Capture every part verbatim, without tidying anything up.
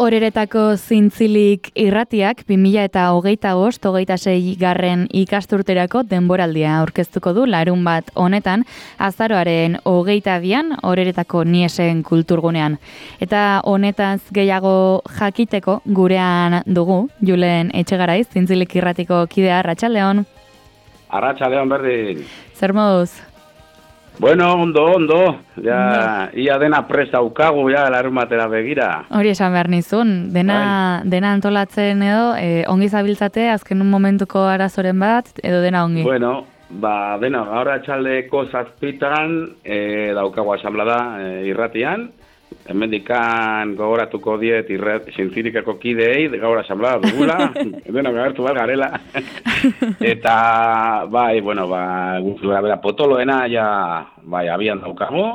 Oreretako zintzilik irratiak bi mila eta hogeita bost, hogeita sei garren ikasturterako denboraldia aurkeztuko du larun bat honetan, azaroaren hogeita bian Oreretako Niesen kulturgunean. Eta honetaz gehiago jakiteko gurean dugu, Julen Etxegaraiz, zintzilik irratiko kidea, Arratsaldeon. Arratsaldeon berdin. Zer moduz? Bueno, ondo, ondo. Ja, no. Ia dena prest daukagu, ja, larun batera begira. Hori esan behar nizun. Dena, dena antolatzen edo, eh, ongi zabiltzate, azken un momentuko arazoren bat, edo dena ongi? Bueno, ba, dena, gaur atxaldeko zazpitan eh, daukagu asamblada eh, irratian. Hemendikan gogoratuko diet irrat, zintzirikako kideei, gaur asamblada dugula, dena gagertu bat garela. Eta, bai, bueno, ba, guztura bera potoloena, ja, bai, abian daukago.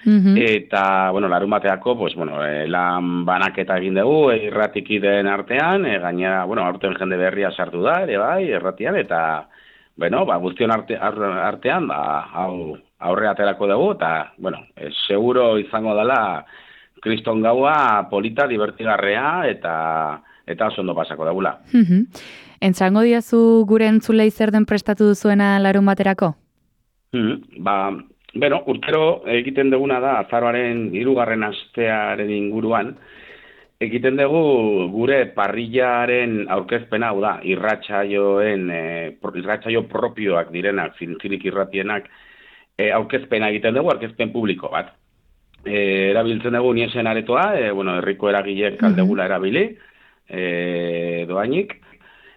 Uh-huh. Eta, bueno, larun bateako, pues, bueno, eh, lan banaketa egin dugu, eh, irratikideen artean, eh, gainera, bueno, aurten jende berria sartu da, ere bai, irratian, eta, bueno, ba, guztion arte, artean, ba, hau, aurre aterako dugu, eta, bueno, eh, seguro izango dela kriston gaua polita, divertigarrea, eta eta oso ondo pasako dagula. Uh-huh. Entzango diazu gure entzulei zer den prestatu duzuena larun baterako? Uh-huh. Ba, bueno, urtero egiten duguna da, azaroaren hirugarren astearen inguruan, egiten dugu gure parrillaren aurkezpena, hau da, irratsaioen, eh, irratsaio propioak direnak, zintzilik irratienak, eh, aurkezpena egiten dugu, aurkezpen publiko bat. E, erabiltzen dugu Niesen aretoa, e, bueno, herriko eragilek aldegula erabili, e, doainik,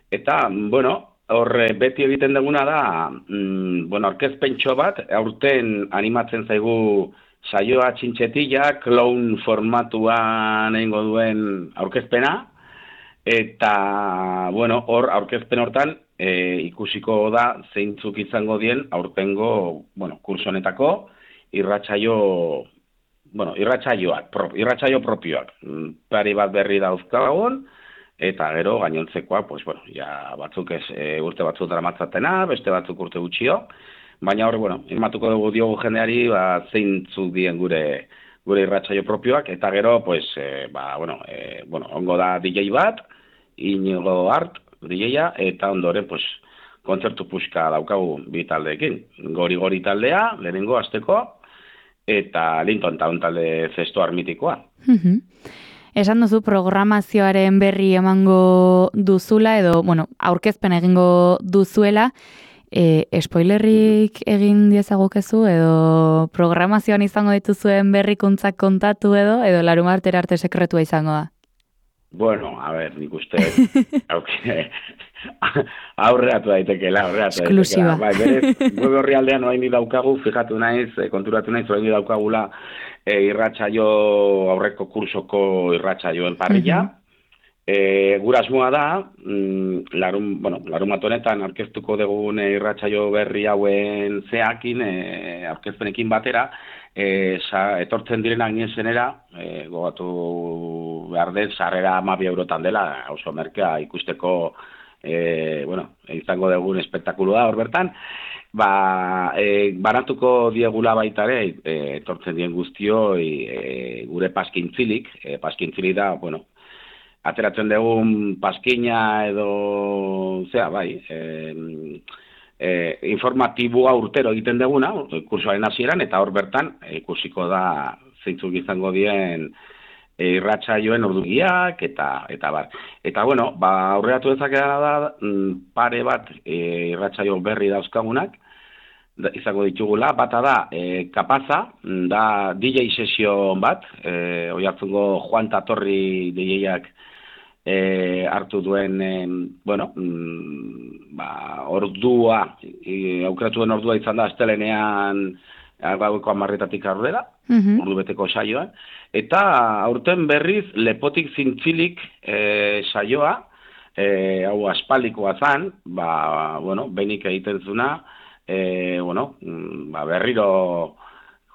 eta, bueno, horre beti egiten duguna da, mm, bueno, orkezpentxo bat, aurten animatzen zaigu saioa txintxetila, clown formatuan egingo duen aurkezpena, eta, bueno, hor, aurkezpen hortan, e, ikusiko da zeintzuk izango dien aurtengo, bueno, kursonetako irratsaio Bueno, irratsaioak, pro, irratsaio propioak. Pari bat berri dauzkagun, eta gero gainontzekoa, pues, bueno, ja batzuk ez, e, urte batzuk daramatzatena, beste batzuk urte gutxio, baina hor, bueno, irmatuko dugu diogu jendeari, ba, zeintzuk dien gure gure irratsaio propioak, eta gero, pues, e, ba, bueno, e, bueno, ongo da D J bat, Inigo Art, D J-a, eta ondoren, pues, kontzertu puxka daukagu bi taldeekin. Gori-gori taldea, lehenengo asteko, eta Linton Town talde zesto armitikoa. Uh-huh. Esan duzu programazioaren berri emango duzula, edo, bueno, aurkezpen egingo duzuela, e, spoilerrik egin diezagukezu, edo programazioan izango dituzuen berrikuntzak kontatu edo, edo larun martera arte sekretua izango da? Bueno, a ver, nik uste, okay. aurreatu daitekela, aurreatu daitekela. Bai, berez, web horri aldean orain daukagu, fijatu naiz, konturatu naiz, orain daukagula e, irratsaio aurreko kursoko irratsaioen parrilla. Uh-huh. E, gura asmoa da, mm, larun, bueno, larun bat honetan aurkeztuko dugun irratsaio berri hauen zeakin, e, aurkezpenekin batera, E, sa, etortzen direnak Niesenera, e, gogatu behar dut, sarrera hamabi eurotan dela, oso merkea ikusteko, e, bueno, izango dugun espektakulu da hor bertan, ba, e, baratuko diegula baita ere, e, etortzen dien guztio, e, gure paskintzilik, e, paskintzilik da, bueno, ateratzen dugun paskina edo, zera, bai, e, E, informatiboa urtero egiten duguna, kursoaren hasieran, eta hor bertan e, ikusiko da zeintzuk izango dien e, irratsaioen ordugiak, eta eta bar. Eta, bueno, ba, aurreratu dezakena da, m, pare bat e, irratsaio berri dauzkagunak, da, izango ditugula, bata da, e, kapaza, da D J sesio bat, e, Oiartzungo Juan Tatorri D J-ak E, hartu duen, e, bueno, mm, ba, ordua, e, aukeratu den ordua izan da, astelenean gaueko hamarretatik aurrera, uh-huh. ordu beteko saioa, eta aurten berriz lepotik zintzilik e, saioa, e, hau aspaldikoa zan, ba, bueno, benik egiten zuna, e, bueno, ba, berriro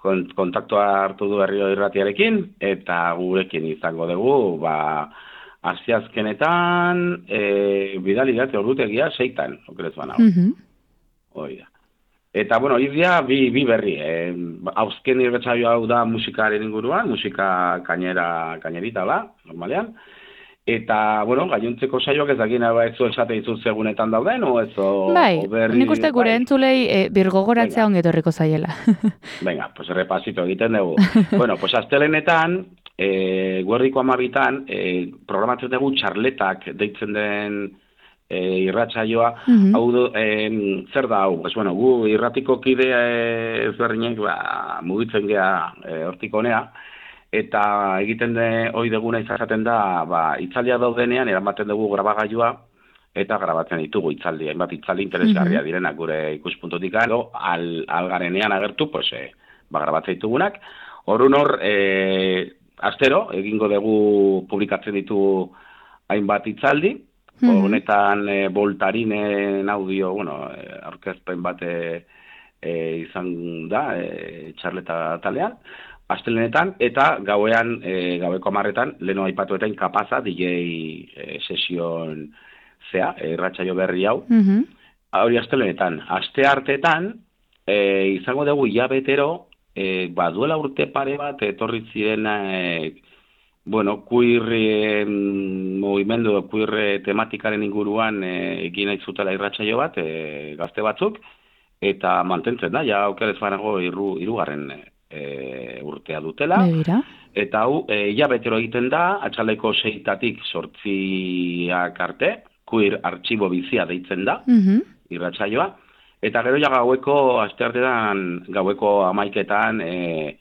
kontaktua hartu du berriro irratiarekin, eta gurekin izango dugu, ba, Aziazkenetan, e, bidali date ordutegia, seitan, okerezuan hau. Uh-huh. Hoi da. Eta, bueno, idia bi, bi berri. Eh, Hauzken irratsaio hau da musikaren inguruan, musika kainera, kainerita da, normalean. Eta, bueno, gainontzeko saioak ez dakina ba ez zu esate ditut segunetan dauden, o ez o, bai, o berri... nik uste gure bai. entzulei e, birgogoratzea ongi etorriko zaiela. Venga, pues repasito egiten dugu. Bueno, pues astelenetan, e, guerdiko amabitan, e, programatzen dugu txarletak deitzen den e, irratsaioa. Mhm. Hau du, e, zer da hau? Pues, bueno, gu irratiko kide ezberdinek ba, mugitzen gea e, hortik honea, eta egiten de hoi deguna izaten da, ba, itzaldia daudenean, eramaten dugu grabagailua, eta grabatzen ditugu itzaldi, hainbat itzaldi interesgarria Mhm. direnak gure ikuspuntutik, edo al, algarenean agertu, pues, e, ba, grabatzen ditugunak. Horun hor, e, astero, egingo dugu publikatzen ditugu hainbat itzaldi, Mhm. honetan e, voltarinen audio, bueno, e, aurkezpen bat e, e, izan da, e, txarleta talean, astelenetan, eta gauean, e, gaueko hamarretan, leno aipatuetan kapaza, D J e, sesion zea, irratsaio berri hau, Mhm. hori astelenetan. Aste hartetan, e, izango dugu hilabetero, e, ba, duela urte pare bat, etorri ziren, e, bueno, queer e, movimendu, queer tematikaren inguruan e, egin nahi zutela irratsaio bat, e, gazte batzuk, eta mantentzen da, ja aukerez banago iru, irugarren e, urtea dutela. Begira. Eta hau, e, hilabetero egiten da, atxaleko seitatik sortziak arte, queer artxibo bizia deitzen da, Mhm. irratsaioa. Eta gero ja gaueko, asteartean, gaueko amaiketan, e,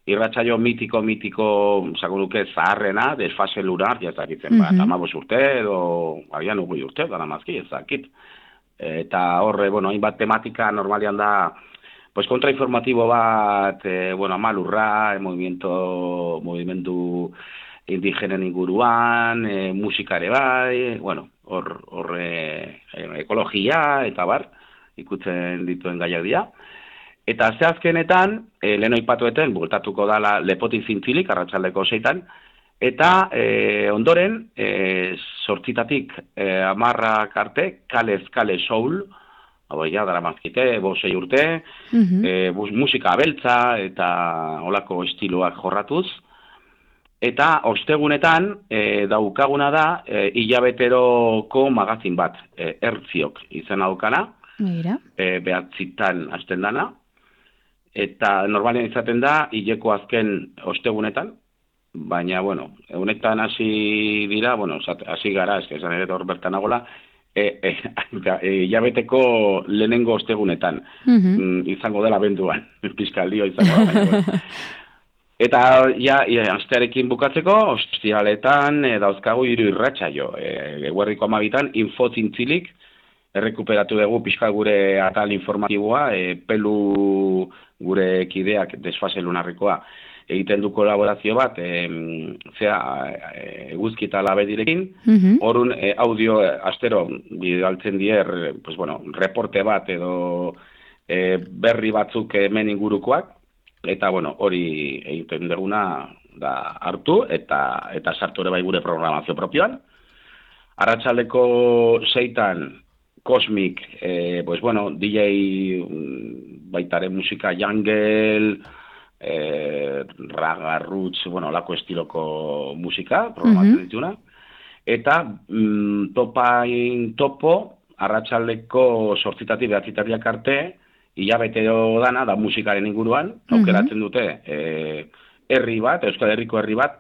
irratsaio mitiko, mitiko, zaguruke zaharrena, desfase lunar, jazakitzen, bat, Mhm. amabos urte, edo, agian ugui urte, dara mazki, ezakit. Eta horre, bueno, hainbat tematika normalian da, pues kontrainformatibo bat, e, bueno, amalurra, e, movimiento, movimendu indigenen inguruan, e, musikare bai, bueno, hor, hor e, ekologia, eta bar, ikutzen dituen gaiak dira. Eta zehazkenetan, e, lehen oipatueten, bultatuko dala lepotik zintzilik, arratsaldeko seitan, eta e, ondoren, e, sortzitatik e, amarrak arte, kalez kale soul, hau ja, dara mazkite, bosei urte, Mhm. e, bus, musika abeltza eta olako estiloak jorratuz. Eta ostegunetan e, daukaguna da e, hilabeteroko magazin bat, e, Ertziok izena daukana, Begira. e, behatzitan hasten dana, eta normalean izaten da hileko azken ostegunetan, baina, bueno, honetan hasi dira, bueno, hasi gara, eske esan ere hor bertan nagola, e, e, e, jabeteko lehenengo ostegunetan, Mhm. mm, izango dela benduan, pizkaldio izango da, baina, bueno. Eta, ja, ja, astearekin bukatzeko, ostialetan e, dauzkagu hiru irratsaio, e, eguerriko amabitan, infozintzilik, errekuperatu dugu pixka gure atal informatiboa, e, pelu gure kideak desfase lunarrikoa, egiten du kolaborazio bat, e, zea, eguzki eta labedirekin, Mhm. horun e, audio e, astero bidaltzen dier, pues bueno, reporte bat edo e, berri batzuk hemen ingurukoak, eta bueno, hori egiten duguna da hartu, eta eta sartu ere bai gure programazio propioan. Arratsaldeko seitan, Cosmic, eh, pues bueno, D J baitare musika jungle, eh, raga, roots, bueno, lako estiloko musika, programatzen Mhm. dituna. Eta mm, topain topo, arratsaldeko sortzitatik behatzitatiak arte, hilabetero dana, da musikaren inguruan, aukeratzen dute eh, herri bat, Euskal Herriko herri bat,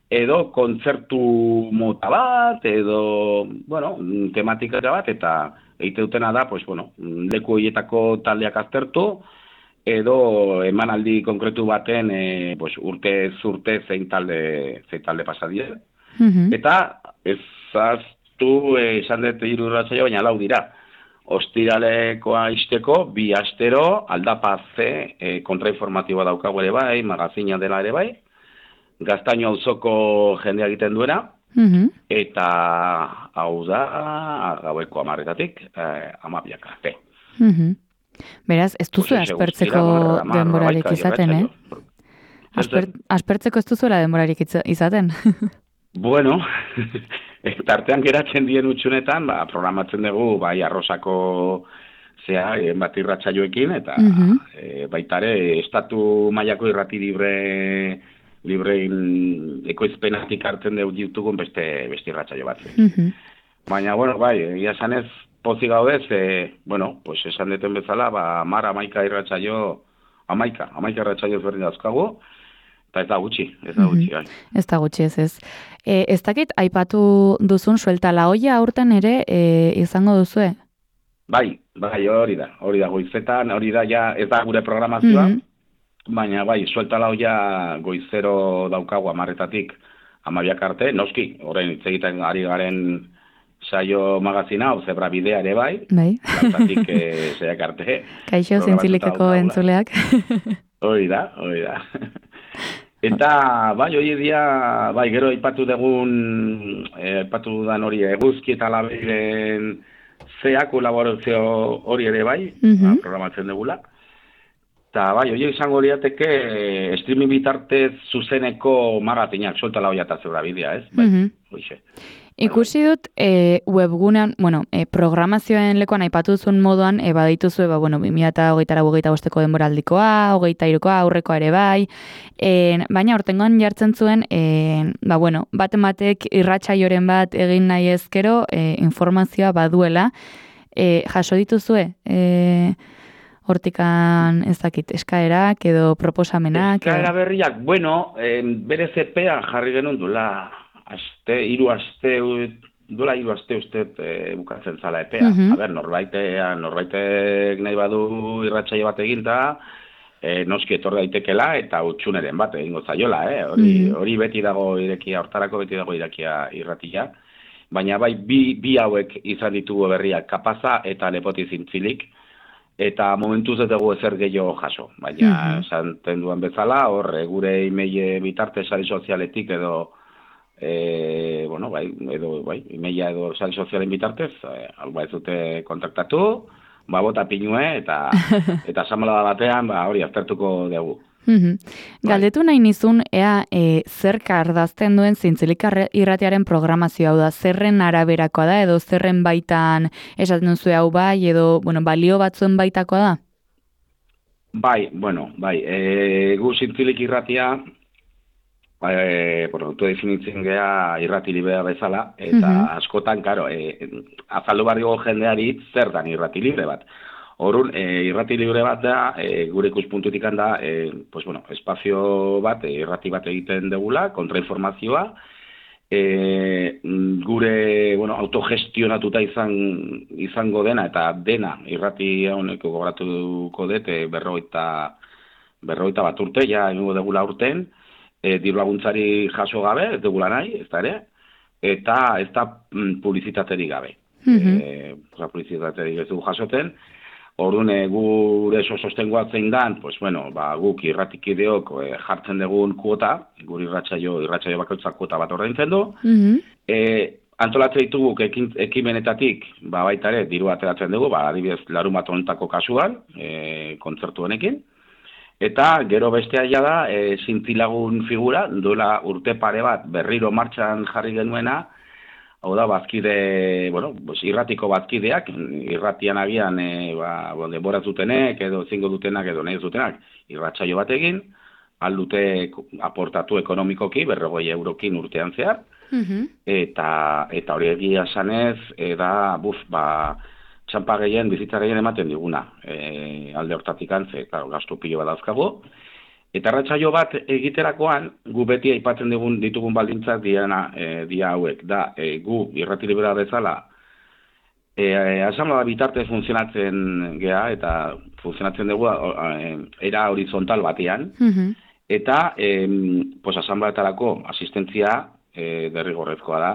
edo kontzertu mota bat, edo, bueno, tematika bat, eta egite dutena da, pues, bueno, leku horietako taldeak aztertu, edo emanaldi konkretu baten, e, pues, urte zurte zein talde, zein talde pasadie. Mhm. Eta ezaztu, e, esan dut hiru irratsaio, baina lau dira. Ostiralekoa izteko, bi astero, aldapaze, e, kontrainformatiboa daukagu ere bai, magazina dela ere bai, Gaztaino auzoko jendea egiten duena, Mhm. eta hau da, gaueko amarretatik, eh, amabiak arte. Mhm. Beraz, ez duzu Pues ese aspertzeko guztira, mar- hamar denborarik hamaika izaten, eh? irratsaio. Asper, aspertzeko ez duzuela denborarik itza- izaten. Bueno, tartean geratzen dien utxunetan, ba, programatzen dugu, bai, arrosako zea, e, bat irratsaioekin, eta Mhm. e, baitare, estatu mailako irrati libre librein ekoizpenatik hartzen dugu ditugun beste, beste irratsaio bat. Mhm. Baina, bueno, bai, egia esanez, pozik gaudez, e, bueno, pues esan deten bezala, ba, mar amaika irratsaio, amaika, amaika irratsaio ezberdin dauzkagu, eta ez da gutxi, ez da gutxi, bai. Ez da gutxi ez ez. E, ez dakit, aipatu duzun suelta la olla aurten ere e, izango duzue? Bai, bai, hori da, hori da, goizetan, hori da, ja, ez da gure programazioa, Mhm. baina, bai, suelta la olla goizero daukagu amarretatik amabiak arte, noski, orain hitz egiten ari garen saio magazina, hau zebra bidea ere bai, Bai. lauetatik e, zeiak arte. Kaixo programatuta zintzilikeko daukagula. entzuleak. Hori da, hori da. Eta, bai, hori dia, bai, gero aipatu dugun, eh, aipatu dudan hori eguzki eta labeiren zea kolaborazio hori ere bai, Mhm. ba, programatzen dugula. Eta, bai, hori izango liateke eh, streaming bitartez zuzeneko magatinak, solta la olla eta zebra bidea, ez? Bai, Mhm. hoixe. Ikusi dut e, webgunean, bueno, e, programazioen lekuan aipatu duzun moduan, e, badituzue, ba, bueno, bi mila hogeita hogeita bosteko denboraldikoa, hogeita hirukoa, aurrekoa ere bai, e, baina hortengoan jartzen zuen, e, ba, bueno, baten batek irratsaioren bat egin nahi ezkero, e, informazioa baduela, e, jaso dituzue, e, hortikan ez dakit, eskaerak edo proposamenak. Eskaera Edo... berriak, bueno, eh, bere zepean jarri genuen duela, aste, hiru aste, duela hiru aste uste e, bukatzen zala epea. Mhm. A ber, norbaitea, norbaitek nahi badu irratsaio bat eginda, e, noski etor daitekela eta utxuneren bat egingo zaiola, eh? Hori, Mhm. hori beti dago irekia, hortarako beti dago irekia irratia. Baina bai, bi, bi hauek izan ditugu berriak, Kapaza eta Lepoti Zintzilik, eta momentuz ez dugu ezer gehiago jaso. Baina, esanten duan bezala, hor, gure email bitarte sare sozialetik edo E, bueno, bai, edo, bai, imeia edo sare sozialen bitartez, e, alba ez dute kontaktatu, ba, bota pinue, eta eta asamblea batean, ba, hori, aztertuko dugu. Mhm. Galdetu nahi nizun, ea e, zer kardazten duen Zintzilik irratiaren programazio hau da, zerren araberakoa da, edo zerren baitan esaten duzu hau bai, edo bueno, balio batzuen baitakoa da? Bai, bueno, bai, e, gu Zintzilik irratia, E, bueno, definitzen gea irrati librea bezala, eta Mhm. askotan, karo, e, azaldu barrigo jendeari zer dan irrati libre bat. Horun, e, irrati libre bat da, e, gure ikuspuntutik da, e, pues, bueno, espazio bat, e, irrati bat egiten degula, kontrainformazioa, e, gure, bueno, autogestionatuta izan, izango dena, eta dena, irrati honeko gogoratuko dut, e, berroita, berroita bat urte, ja, egingo degula urten, E, diru laguntzari jaso gabe, ez dugula nahi, ez da ere, eta ez da mm, publizitaterik gabe. Mhm. E, publizitaterik ez dugu jasoten, orduan e, gure sostengoa zein dan, pues, bueno, ba, guk irratikideok e, jartzen dugun kuota, gure irratsaio irratsaio bakoitzak kuota bat ordaintzen du, Mhm. e, antolatzen ditugu ekin, ekimenetatik, ba, baita ere, diru ateratzen dugu, ba, adibidez, larun bat honetako kasuan, e, kontzertu honekin, eta gero bestea ja da, e, zintzilagun figura, duela urte pare bat berriro martxan jarri genuena, hau da, bazkide, bueno, pues, irratiko bazkideak, irratian agian, e, ba, denbora zutenek, edo zingo dutenak, edo nahi zutenak, irratsaio bat egin, aldute aportatu ekonomikoki, berrogei eurokin urtean zehar, Mhm. eta, eta hori egia esanez, e, da, buf, ba, txampa gehien, bizitza gehien ematen diguna, e, alde hortatik antze, claro, gastu pilo bat dauzkagu. Eta arratsaio bat egiterakoan, gu beti aipatzen digun ditugun baldintzak diana, e, dia hauek, da, e, gu irrati libera bezala, e, asamblea bitartez funtzionatzen gea, eta funtzionatzen dugu e, era horizontal batean, Mhm. eta e, pues, asambleetarako asistentzia e, derrigorrezkoa da,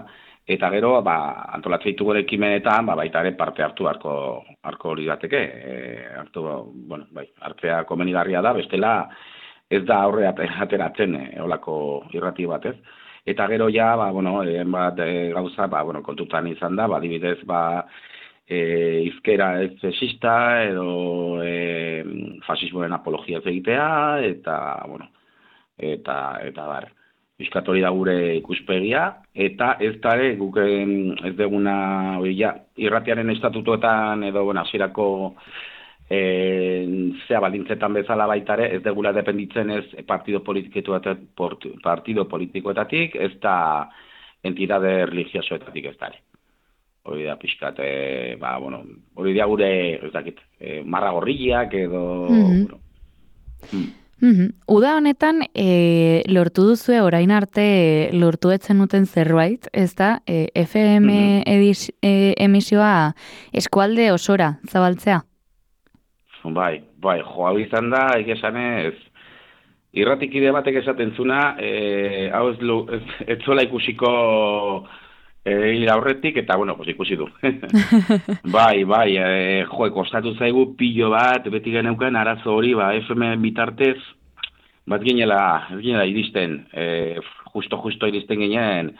eta gero, ba, antolatzen ditugu ekimenetan, ba, baita ere parte hartu harko, harko hori dateke, e, hartu, bueno, bai, hartzea komenigarria da, bestela ez da aurre ateratzen e, olako irrati batez. Eta gero ja, ba, bueno, e, bat e, gauza, ba, bueno, kontutan izan da, ba, adibidez, ba, e, izkera ez sexista, edo e, fasismoen apologia egitea, eta, bueno, eta, eta bar. Piskat hori da gure ikuspegia, eta ez dare guk ez deguna ja, irratiaren estatutuetan edo bueno, hasierako e, zea baldintzetan bezala baitare, ez degula dependitzen ez partido politikoetatik, partido politikoetatik, ez da entidade religiosoetatik ez dare. Hori da pixkat, e, ba, bueno, hori da gure, ez dakit, e, marra gorriak edo... Mm-hmm. Bueno, mm. Mm-hmm. Uda honetan, e, lortu duzue orain arte lortu etzen duten zerbait, ez da, e, F M mm-hmm. edis, e, emisioa eskualde osora zabaltzea? Bai, bai, joa bizan da, egesanez, irratikide batek esaten zuna, e, hau ez, ez, ez zola ikusiko... Egin aurretik, eta, bueno, pues ikusi du. bai, bai, e, jo, kostatu zaigu pilo bat, beti geneuken arazo hori, ba, F M bitartez, bat ginela, ginela iristen, e, justo-justo iristen ginen,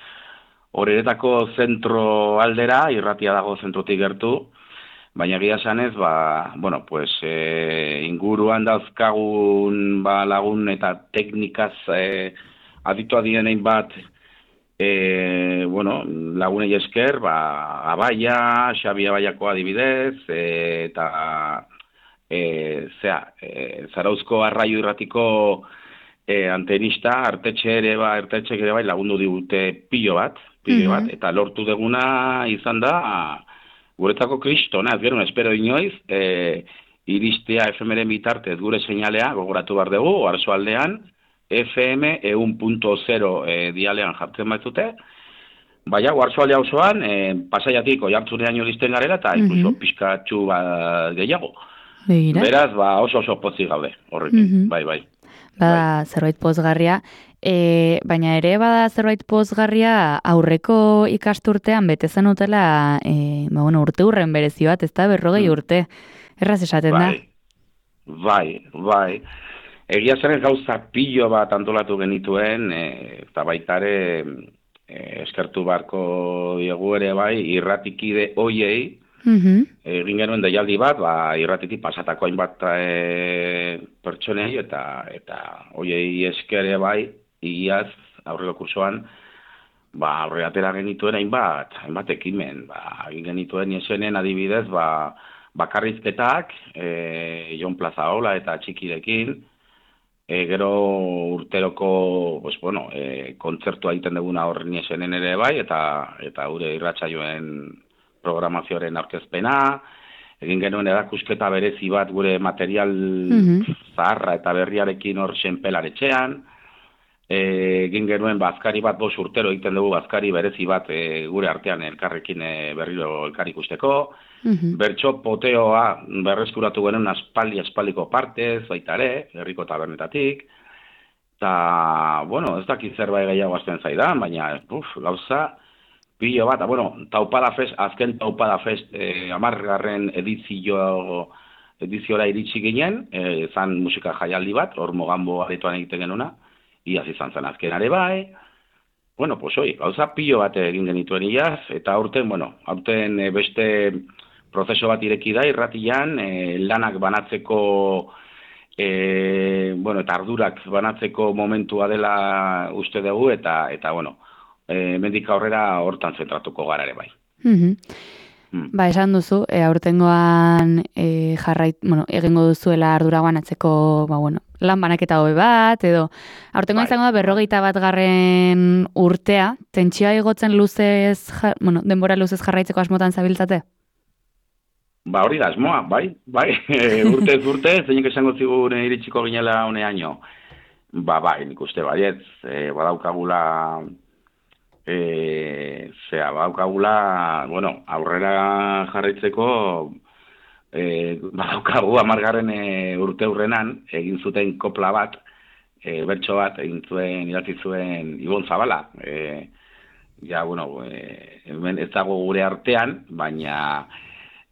horretako zentro aldera, irratia dago zentrotik gertu, baina gira esanez, ba, bueno, pues, e, inguruan dauzkagun ba, lagun eta teknikaz e, aditua dienein bat, E, bueno, lagunei esker, ba, Abaia, Xabi Abaiako adibidez, e, eta e, zea, e, Zarauzko arraio irratiko e, antenista, artetxe ere, ba, artetxe ere bai lagundu digute pilo bat, pilo bat, mm-hmm. eta lortu deguna izan da, guretako kristona, ez gero, espero inoiz, e, iristea F M-ren bitartez gure seinalea, gogoratu behar dugu, Oarsoaldean, F M ehun puntu zero e, dialean jartzen baitute, baina Oarsoalde osoan, e, Pasaiatik Oiartzunean iristen garela, eta incluso mm-hmm. pixkatxu ba, gehiago. Begira. Beraz, ba, oso oso pozik gaude, horrekin, mm-hmm. bai, bai. Bada bai. Zerbait pozgarria, e, baina ere bada zerbait pozgarria aurreko ikasturtean bete zen utela, e, ba, bueno, urte urren berezi bat, ez da berrogei mm. urte, erraz esaten bai. da? Bai, bai. Egia zen gauza pilo bat antolatu genituen, e, eta baitare e, eskertu barko diegu ere bai, irratikide hoiei, mm-hmm. egin genuen deialdi bat, ba, irratitik pasatako hainbat e, pertsonei, eta eta hoiei eskere bai, iaz, aurreko kursoan, ba, aurre atera genituen hainbat, hainbat ekimen, ba, egin genituen iesenen adibidez, ba, bakarrizketak, e, Jon Plazaola eta Txikirekin, E, gero urteroko, pues, bueno, e, kontzertua egiten duguna horren esenen ere bai, eta eta gure irratsaioen programazioaren aurkezpena, egin genuen erakusketa berezi bat gure material mm-hmm. zaharra eta berriarekin hor senpelaretxean, e, egin genuen bazkari bat bos urtero egiten dugu bazkari berezi bat e, gure artean elkarrekin e, berriro elkar ikusteko, mm-hmm. bertso poteoa berreskuratu genuen aspaldi aspaldiko partez, baita ere, herriko tabernetatik, eta, bueno, ez dakit zerbait gehiago azten zaidan, baina, uf, gauza, pilo bat, bueno, taupada fest, azken taupada fest, eh, amargarren edizio, ediziora iritsi ginen, eh, zan musika jaialdi bat, hor Mogambo aretoan egiten genuna, iaz izan zen azkenare bai, bueno, pues hoi, gauza pilo bat egin genituen iaz, eta aurten, bueno, aurten e, beste prozeso bat ireki da, irratian, e, lanak banatzeko, e, bueno, eta ardurak banatzeko momentua dela uste dugu, eta, eta bueno, e, mendik aurrera hortan zentratuko gara ere bai. Mm-hmm. Mm. Ba, esan duzu, e, aurtengoan e, jarrait, bueno, egingo duzuela ardura banatzeko, ba, bueno, lan banaketa hobe bat, edo aurtengoa bai. Izango da berrogeita bat garren urtea, tentsioa igotzen luzez, ja, bueno, denbora luzez jarraitzeko asmotan zabiltzate? Ba, hori da, asmoa, bai, bai, urtez urte, zeinek esango zigun iritsiko ginela honeaino. Ba, bai, nik uste baietz, e, badaukagula, e, zera, badaukagula, bueno, aurrera jarraitzeko, e, badaukagu amargarren e, urte hurrenan, egin zuten kopla bat, e, bertso bat, egin zuen, idatzi zuen Ibon Zabala, e, ja, bueno, e, ez dago gure artean, baina...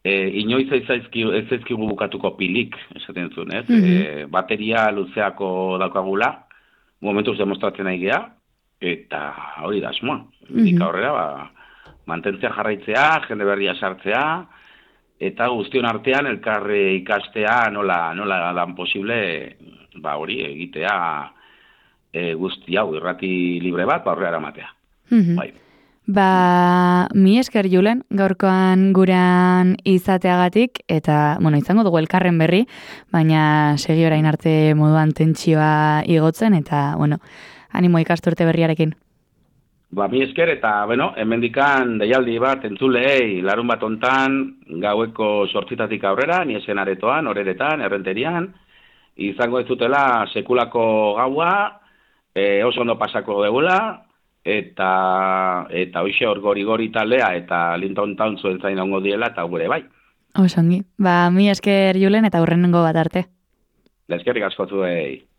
E, inoiz ez zaizkigu bukatuko pilik, esaten zuen, ez? Mm-hmm. E, bateria luzeako daukagula, momentuz demostratzen nahi geha, eta hori da asmoa. Mm-hmm. Dika horrela, ba, mantentzea jarraitzea, jende berria sartzea, eta guztion artean elkarre ikastea nola, nola dan posible, ba hori egitea e, guzti hau, irrati libre bat, ba, horrela eramatea. Mhm. Bai. Ba, mi esker Julen, gaurkoan guran izateagatik, eta, bueno, izango dugu elkarren berri, baina segi orain arte moduan tentsioa igotzen, eta, bueno, animo ikasturte berriarekin. Ba, mi esker, eta, bueno, hemendikan deialdi bat entzulei, larun bat ontan, gaueko sortzitatik aurrera, niesen aretoan, horeretan, errenterian, izango ez dutela sekulako gaua, e, oso ondo pasako degula, eta eta hoxe hor gori-gori taldea eta Linton Town zuen zain ongo diela eta gure bai. Osongi. Ba, mi esker Julen eta hurrenengo bat arte. Eskerrik asko zuei.